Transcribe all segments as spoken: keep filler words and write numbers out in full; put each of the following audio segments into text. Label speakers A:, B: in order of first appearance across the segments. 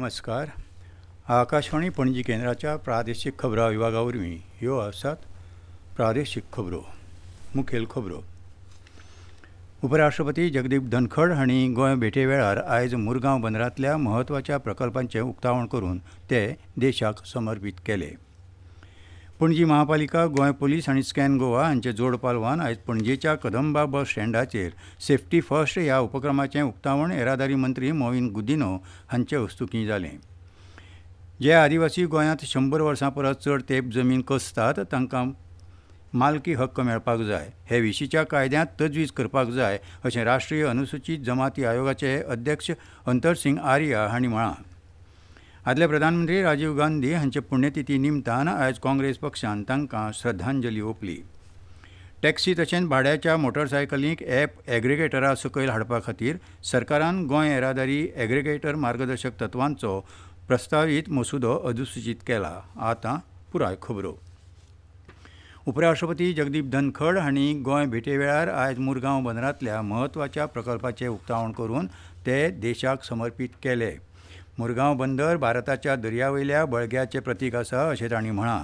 A: नमस्कार. आकाशवाणी पणजी केंद्राच्या प्रादेशीक खबरां विभागा वरवीं ह्यो आसात प्रादेशीक खबरो. मुखेल खबरो. उपराष्ट्रपती जगदीप धनखड हांणी गोंय भेटे वेळार आयज मुरगांव बंदरांतल्या म्हत्वाच्या प्रकल्पांचें उक्तावण करून ते देशाक समर्पीत केले. पणजी महापालिका, गोंय पुलीस आनी स्कॅन गोवा हांचे जोड पालवान आयज पणजेच्या कदंबा बस स्टँडाचेर सेफ्टी फर्स्ट ह्या उपक्रमाचें उक्तावण येरादारी मंत्री मॉवीन गुदिन्हो हांचे हस्तुकीं जालें. जे आदिवासी गोंयांत शंबर वर्सां परस चड तेंप जमीन कसतात तांकां मालकी हक्क मेळपाक जाय, हे विशींच्या कायद्यांत तजवीज करपाक जाय अशें राष्ट्रीय अनुसूचीत जमाती आयोगाचे अध्यक्ष अंतरसिंग आर्या हांणी म्हळां. आदले प्रधानमंत्री राजीव गांधी हांचे पुण्यतिथी निमतान आयज काँग्रेस पक्षान तांकां श्रद्धांजली ओंपली. टॅक्सी तशेंच भाड्याच्या मोटरसायकलींक ॲप एग्रिगेटरा सकयल हाडपा खातीर सरकारान गोंय येरादारी एग्रिगेटर मार्गदर्शक तत्वांचो प्रस्तावीत मसुदो अधिसुचीत केला. आतां पुराय खबरो. उपराष्ट्रपती जगदीप धनखड हांणी गोंय भेटे वेळार आयज मुरगांव बंदरांतल्या म्हत्वाच्या प्रकल्पाचें उक्तावण करून ते देशाक समर्पीत केले. मुरगांव बंदर भारताच्या दर्यावयल्या बळग्याचें प्रतीक आसा अशें तांणी म्हळां.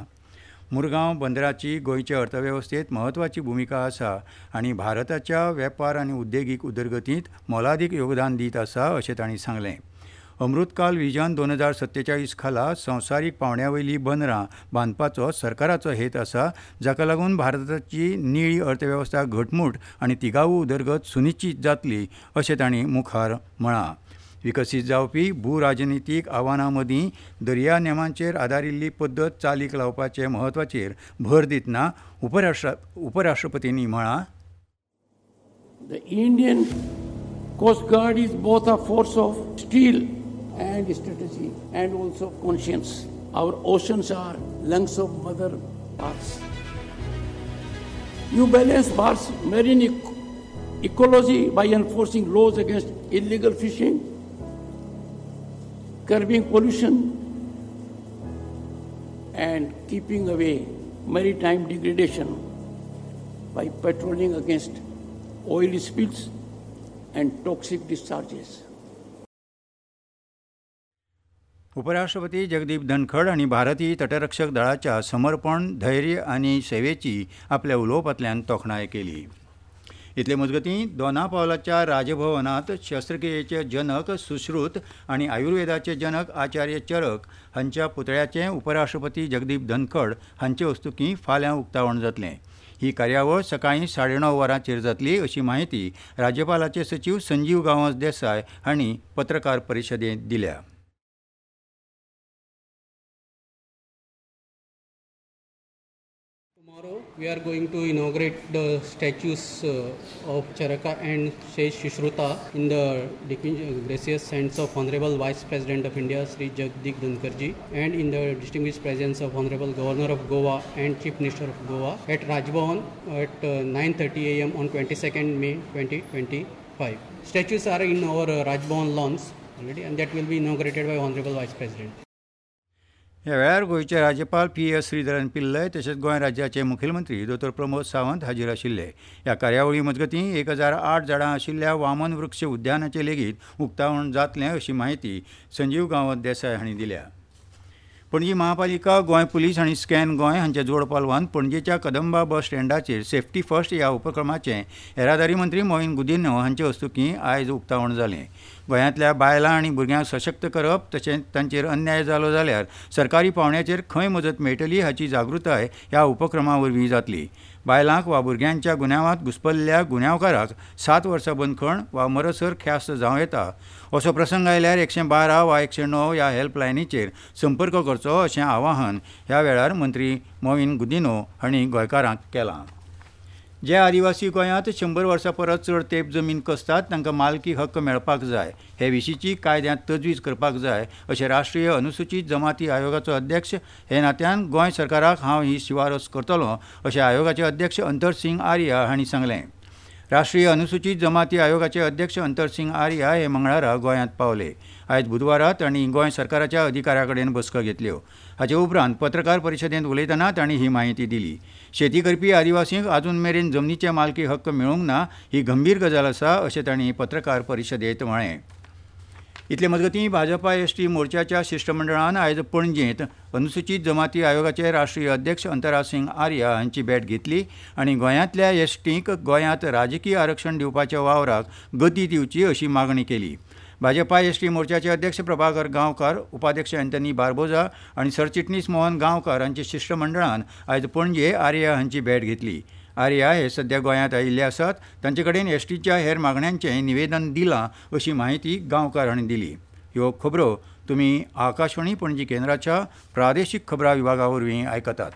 A: मुरगांव बंदराची गोंयचे अर्थवेवस्थेंत म्हत्वाची भुमिका आसा आनी भारताच्या वेपार आनी उद्देगीक उदरगतींत मोलादीक योगदान दीत आसा अशें तांणी सांगलें. अमृतकाल विजन दोन हजार सत्तेचाळीस खाला संवसारीक पांवड्या वयलीं बंदरां बांदपाचो सरकाराचो हेत आसा, जाका लागून भारताची निळी अर्थवेवस्था घटमूट आनी तिगावू उदरगत सुनिश्चीत जातली अशें तांणी मुखार म्हळां. विकसीत जावपी भूराजनितीक आव्हानां मदीं दर्या नेमांचेर आदारिल्ली पद्दत चालीक लावपाचे म्हत्वाचेर भर दितना उपराष्ट्र उपराष्ट्रपतींनी म्हळां,
B: The Indian Coast Guard is both a force of steel and strategy and also conscience. Our oceans are lungs of Mother Earth. You balance Bharat's marine ecology by enforcing laws against illegal fishing, curbing pollution and keeping away maritime degradation by patrolling against oil spills and toxic discharges.
A: उपराष्ट्रपती जगदीप धनखड हांणी भारतीय तटरक्षक दळाच्या समर्पण, धैर्य आनी सेवेची आपल्या उलोवपांतल्यान तोखणाय केली. इतले मजगतीं दोनापावलाच्या राजभवनांत शस्त्रक्रियेचे जनक सुश्रुत आनी आयुर्वेदाचे जनक आचार्य चरक हांच्या पुतळ्याचें उपराष्ट्रपती जगदीप धनखड हांचे हस्तुकीं फाल्यां उक्तावण जातलें. ही कार्यावळ सकाळीं साडे णव वरांचेर जातली अशी माहिती राज्यपालाचे सचीव संजीव गांवस देसाय हांणी पत्रकार परिशदेंत दिल्या.
C: Tomorrow we are going to inaugurate the statues uh, of Charaka and Sage Sushruta in the gracious hands of Honorable Vice President of India Sri Jagdeep Dhankhar ji and in the distinguished presence of Honorable Governor of Goa and Chief Minister of Goa at Raj Bhavan at uh, nine thirty a m on twenty-second May twenty twenty-five. Statues are in our uh, Raj Bhavan lawns already and that will be inaugurated by Honorable Vice President.
A: ह्या वेळार गोंयचे राज्यपाल P S Sreedharan Pillai तशेंच गोंय राज्याचे मुखेलमंत्री दोतोर प्रमोद सावंत हाजीर आशिल्ले. ह्या कार्यावळी मजगतीं एक हजार आठ झाडां आशिल्ल्या वामन वृक्ष उद्यानाचें लेगीत उक्तावण जातलें अशी माहिती संजीव गांवस देसाय हांणी दिल्या. पणजी महापालिका, गोंय पुलीस आनी स्कॅन गोंय हांच्या जोड पालवान पणजेच्या कदंबा बस स्टँडाचेर सेफ्टी फर्स्ट ह्या उपक्रमाचें येरादारी मंत्री मॉवीन गुदिन्हो हांचे हस्तुकीं आयज उक्तावण जालें. गोंयांतल्या बायलां आनी भुरग्यांक सशक्त करप तशेंच तांचेर अन्याय जालो जाल्यार सरकारी पांवड्याचेर खंय मजत मेळटली हाची जागृताय ह्या उपक्रमा वरवीं जातली. बायलांक वा भुरग्यांच्या गुन्यांवांत घुस्पल्ल्या गुन्यांवकाराक सात वर्सां बंदखण वा मरसर ख्यास्त जावं येता. असो प्रसंग आयल्यार एकशे बारा वा एकशे णव ह्या हेल्पलायनीचेर संपर्क करचो अशें आवाहन ह्या वेळार मंत्री मॉवीन गुदिन्हो हांणी गोंयकारांक केलां. जे आदिवासी गोंयांत शंबर वर्सां परस चड तेंप जमीन कसतात तांकां मालकी हक्क मेळपाक जाय, हे विशींची कायद्यांत तजवीज करपाक जाय अशें राष्ट्रीय अनुसूचीत जमाती आयोगाचो अध्यक्ष हे नात्यान गोंय सरकाराक हांव ही शिफारस करतलों अशें आयोगाचे अध्यक्ष अंतरसिंग आर्या हांणी सांगलें. राष्ट्रीय अनुसूचीत जमाती आयोगाचे अध्यक्ष अंतरसिंग आर्या हे मंगळारा गोंयांत पावले. आयज बुधवारा तांणी गोंय सरकाराच्या अधिकाऱ्यां कडेन बसका घेतल्यो. हाचे उपरांत पत्रकार परिशदेंत उलयतना तांणी ही माहिती दिली. शेती करपी आदिवासींक अजून मेरेन जमनीचे मालकी हक्क मेळूंक ना ही गंभीर गजाल आसा अशें तांणी पत्रकार परिशदेंत म्हळें. इतले मजगतीं भाजपा एसटी मोर्चाच्या शिश्टमंडळान आयज पणजेंत अनुसूचीत जमाती आयोगाचे राष्ट्रीय अध्यक्ष अंतरा सिंग आर्या हांची भेट घेतली आनी गोंयांतल्या एसटींक गोंयांत राजकीय आरक्षण दिवपाच्या वावराक गती दिवची अशी मागणी केली. भाजपा एसटी मोर्चाचे अध्यक्ष प्रभाकर गांवकार, उपाध्यक्ष अँथनी बार्बोजा आनी सरचिटणीस मोहन गांवकार हांच्या शिश्टमंडळान आयज पणजे आर्या हांची भेट घेतली. आर्या हे सध्या गोंयांत आयिल्ले आसात. तांचे कडेन एसटीच्या हेर मागण्यांचें निवेदन दिलां अशी म्हायती गांवकार हांणी दिली. ह्यो खबरो तुमी आकाशवाणी पणजी केंद्राच्या प्रादेशीक खबरां विभागा वरवीं आयकतात.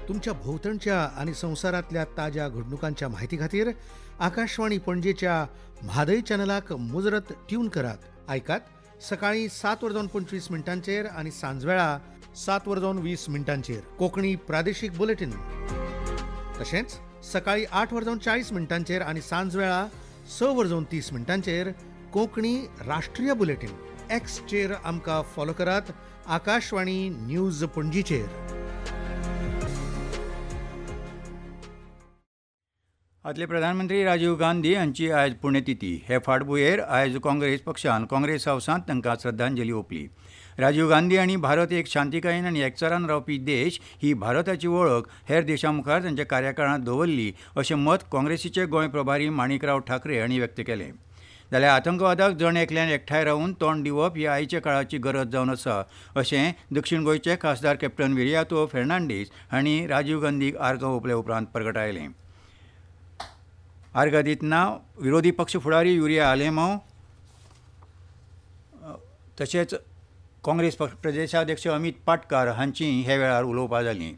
D: तुमच्या भोवतणच्या आनी संवसारांतल्या ताज्या घडणुकांच्या म्हायती खातीर आकाशवाणी पणजेच्या म्हादय चॅनलाक मुजरत ट्यून करात. आयकात सकाळी सात वरजावन पंचवीस मिनटांचेर आनी सांजवेळा सात वरजावन वीस मिनटांचेर कोंकणी प्रादेशीक बुलेटीन. तशेंच सकाळी आठ वरजावन चाळीस मिनटांचेर आनी सांजवेळा स वरजावन तीस मिनटांचेर कोंकणी राष्ट्रीय बुलेटीन. एक्सचेर आमकां फॉलो करात आकाशवाणी न्यूज पणजीचेर.
A: आदले प्रधानमंत्री राजीव गांधी हांची आयज पुण्यतिथी. हे फाटभुंयेर आयज काँग्रेस पक्षान काँग्रेस हावसांत तांकां श्रद्धांजली ओंपली. राजीव गांधी हांणी भारत एक शांतिकायेन आनी एकचारान रावपी देश ही भारताची वळख हेर देशां मुखार तांच्या कार्यकाळांत दवरली अशें मत काँग्रेसीचे गोंय प्रभारी माणिकराव ठाकरे हांणी व्यक्त केलें. जाल्यार आतंकवादाक जण एकल्यान एकठांय रावन तोंड दिवप ही आयच्या काळाची गरज जावन आसा अशें दक्षिण गोंयचे खासदार कॅप्टन विरियातो फेर्नांडीस हांणी राजीव गांधीक आर्गां ओंपले उपरांत परगटायलें. आर्गां दितना विरोधी पक्ष फुडारी युरिया आलेमांव तशेंच काँग्रेस पक्ष प्रदेशाध्यक्ष अमित पाटकार हांची हे वेळार उलोवपां जालीं.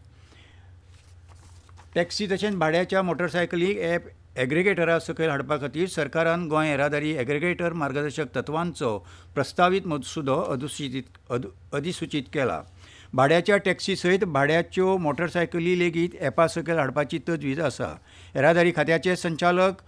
A: टॅक्सी तशेंच भाड्याच्या मोटरसायकलीक ॲप एग्रिगेटरा सकयल हाडपा खातीर सरकारान गोंय येरादारी एग्रिगेटर मार्गदर्शक तत्वांचो प्रस्तावीत मसुदो अधिसूचीत अधिसूचीत केला. भाड्याच्या टॅक्सी सयत भाड्याच्यो मोटरसायकली लेगीत ॲपा सकयल हाडपाची तजवीज आसा. येरादारी खात्याचे संचालक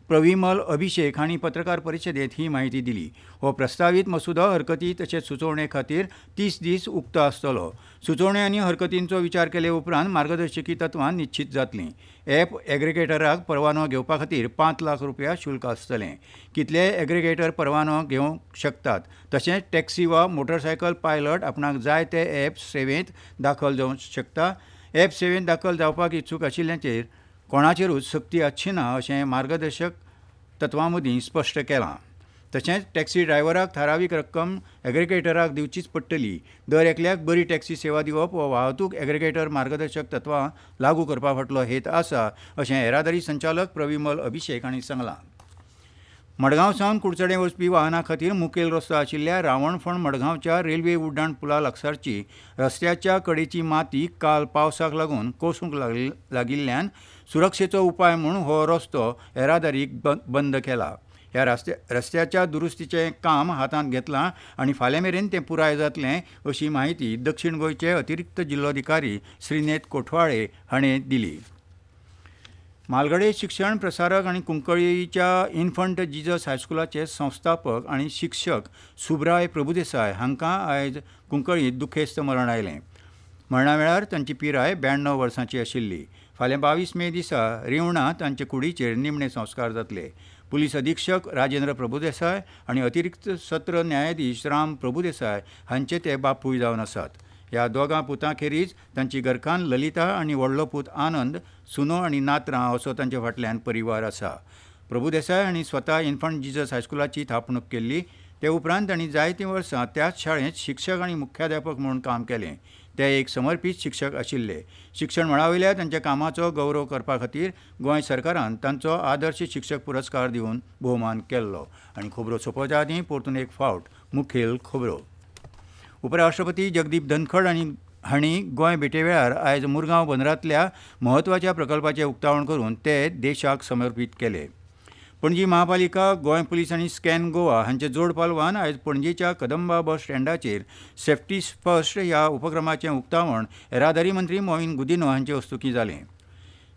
A: प्रविमल अभिषेक हांणी पत्रकार परिशदेंत ही म्हायती दिली. हो प्रस्तावीत मसुदो हरकती तशेंच सुचोवणे खातीर तीस दीस उक्तो आसतलो. सुचोवणे आनी हरकतींचो विचार केले उपरांत मार्गदर्शकी तत्वां निश्चीत जातलीं. ॲप एग्रिगेटराक परवानो घेवपा खातीर पांच लाख रुपया शुल्क आसतलें. कितलेय एग्रिगेटर परवानो घेवंक शकतात. तशेंच टॅक्सी वा मोटरसायकल पायलट आपणाक जाय ते ॲप सेवेंत दाखल जावंक शकता. ॲप सेवेंत दाखल जावपाक इत्सूक आशिल्ल्याचेर कोणाचेरूच सक्ती आसची ना अशें मार्गदर्शक तत्वां मदीं स्पश्ट केलां. तशेंच टॅक्सी ड्रायव्हराक थारावीक रक्कम एग्रिगेटराक दिवचीच पडटली. दर एकल्याक बरी टॅक्सी सेवा दिवप हो वाहतूक एग्रिगेटर मार्गदर्शक तत्वां लागू करपा फाटलो हेत आसा अशें येरादारी संचालक प्रविमल अभिषेक हांणी सांगलां. मडगांव सावन कुडचडें वचपी वाहनां खातीर मुखेल रस्तो आशिल्ल्या रावणफण मडगांवच्या रेल्वे उड्डाण पुला लागसारची रस्त्याच्या कडेची माती काल पावसाक लागून कोसळूंक लागिल्ल्यान सुरक्षेचो उपाय म्हूण हो रस्तो येरादारीक बंद केला. ह्या रस्त्या रस्त्याच्या दुरुस्तीचें काम हातांत घेतलां आनी फाल्यां मेरेन तें पुराय जातलें अशी म्हायती दक्षिण गोंयचे अतिरिक्त जिल्लोधिकारी श्रीनेत कोठवाळे हाणें दिली. मालगडे शिक्षण प्रसारक आनी कुंकळीच्या इन्फंट जीजस हायस्कुलाचे संस्थापक आनी शिक्षक सुब्राय प्रभुदेसाय हांकां आयज कुंकळींत दुखेस्त मरण आयलें. मरणा वेळार तांची पिराय ब्याण्णव वर्सांची आशिल्ली. फाल्यां बावीस मे दिसा रिवणा तांचे कुडीचेर निमणे संस्कार जातले. पुलीस अधीक्षक राजेंद्र प्रभुदेसाय आनी अतिरिक्त सत्र न्यायाधीश राम प्रभुदेसाय हांचे ते बापूय जावन आसात. ह्या दोगां पुतां खेरीज तांची घरकान्न ललिता आनी व्हडलो पूत आनंद, सुनो आनी नातरां असो तांचे फाटल्यान परिवार आसा. प्रभुदेसाय हांणी स्वता इन्फंट जीजस हायस्कुलाची थापणूक केल्ली. ते उपरांत तांणी जायतीं वर्सां त्याच शाळेंत शिक्षक आनी मुख्याध्यापक म्हूण काम केलें. ते एक समर्पीत शिक्षक आशिल्ले. शिक्षण मळावयल्या तांच्या कामाचो गौरव करपा खातीर गोंय सरकारान तांचो आदर्श शिक्षक पुरस्कार दिवन भोवमान केल्लो. आनी खबरो सोंपोवच्या आदीं परतून एक फावट मुखेल खबरो. उपराष्ट्रपती जगदीप धनखड आनी हांणी गोंय भेटे वेळार आयज मुरगांव बंदरांतल्या म्हत्वाच्या प्रकल्पाचें उक्तावण करून ते देशाक समर्पीत केले. पणजी महापालिका, गोंय पुलीस आनी स्कॅन गोवा हांचे जोड पालवान आयज पणजेच्या कदंबा बस स्टँडाचेर सेफ्टी फर्स्ट ह्या उपक्रमाचें उक्तावण येरादारी मंत्री मोहीन गुदिन्हो हांचे हस्तुकीं जालें.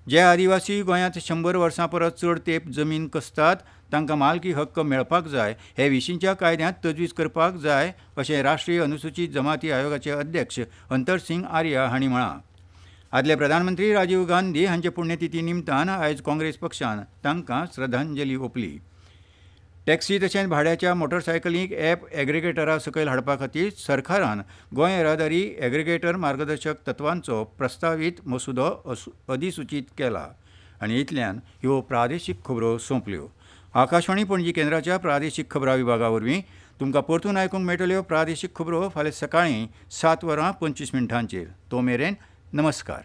A: जे आदिवासी गोंयांत शंबर वर्सां परस चड तेंप जमीन कसतात तांकां मालकी हक्क मेळपाक जाय हे विशींच्या कायद्यांत तजवीज करपाक जाय अशें राष्ट्रीय अनुसूचीत जमाती आयोगाचे अध्यक्ष अंतर सिंग आर्या हांणी म्हळां. आदले प्रधानमंत्री राजीव गांधी हांचे पुण्यतिथी निमतान आयज काँग्रेस पक्षान तांकां श्रद्धांजली ओंपली. टॅक्सी तशेंच भाड्याच्या मोटरसायकलींक ॲप एग्रिगेटरा सकयल हाडपा खातीर सरकारान गोंय येरादारी एग्रिगेटर मार्गदर्शक तत्वांचो प्रस्तावीत मसुदो अधिसुचीत केला. आनी इतल्यान ह्यो प्रादेशीक खबरो सोंपल्यो. आकाशवाणी पणजी केंद्राच्या प्रादेशीक खबरां विभागा वरवीं तुमकां परतून आयकूंक मेळटल्यो प्रादेशीक खबरो फाल्यां सकाळीं सात वरां पंचवीस मिनटांचेर. तो मेरेन नमस्कार.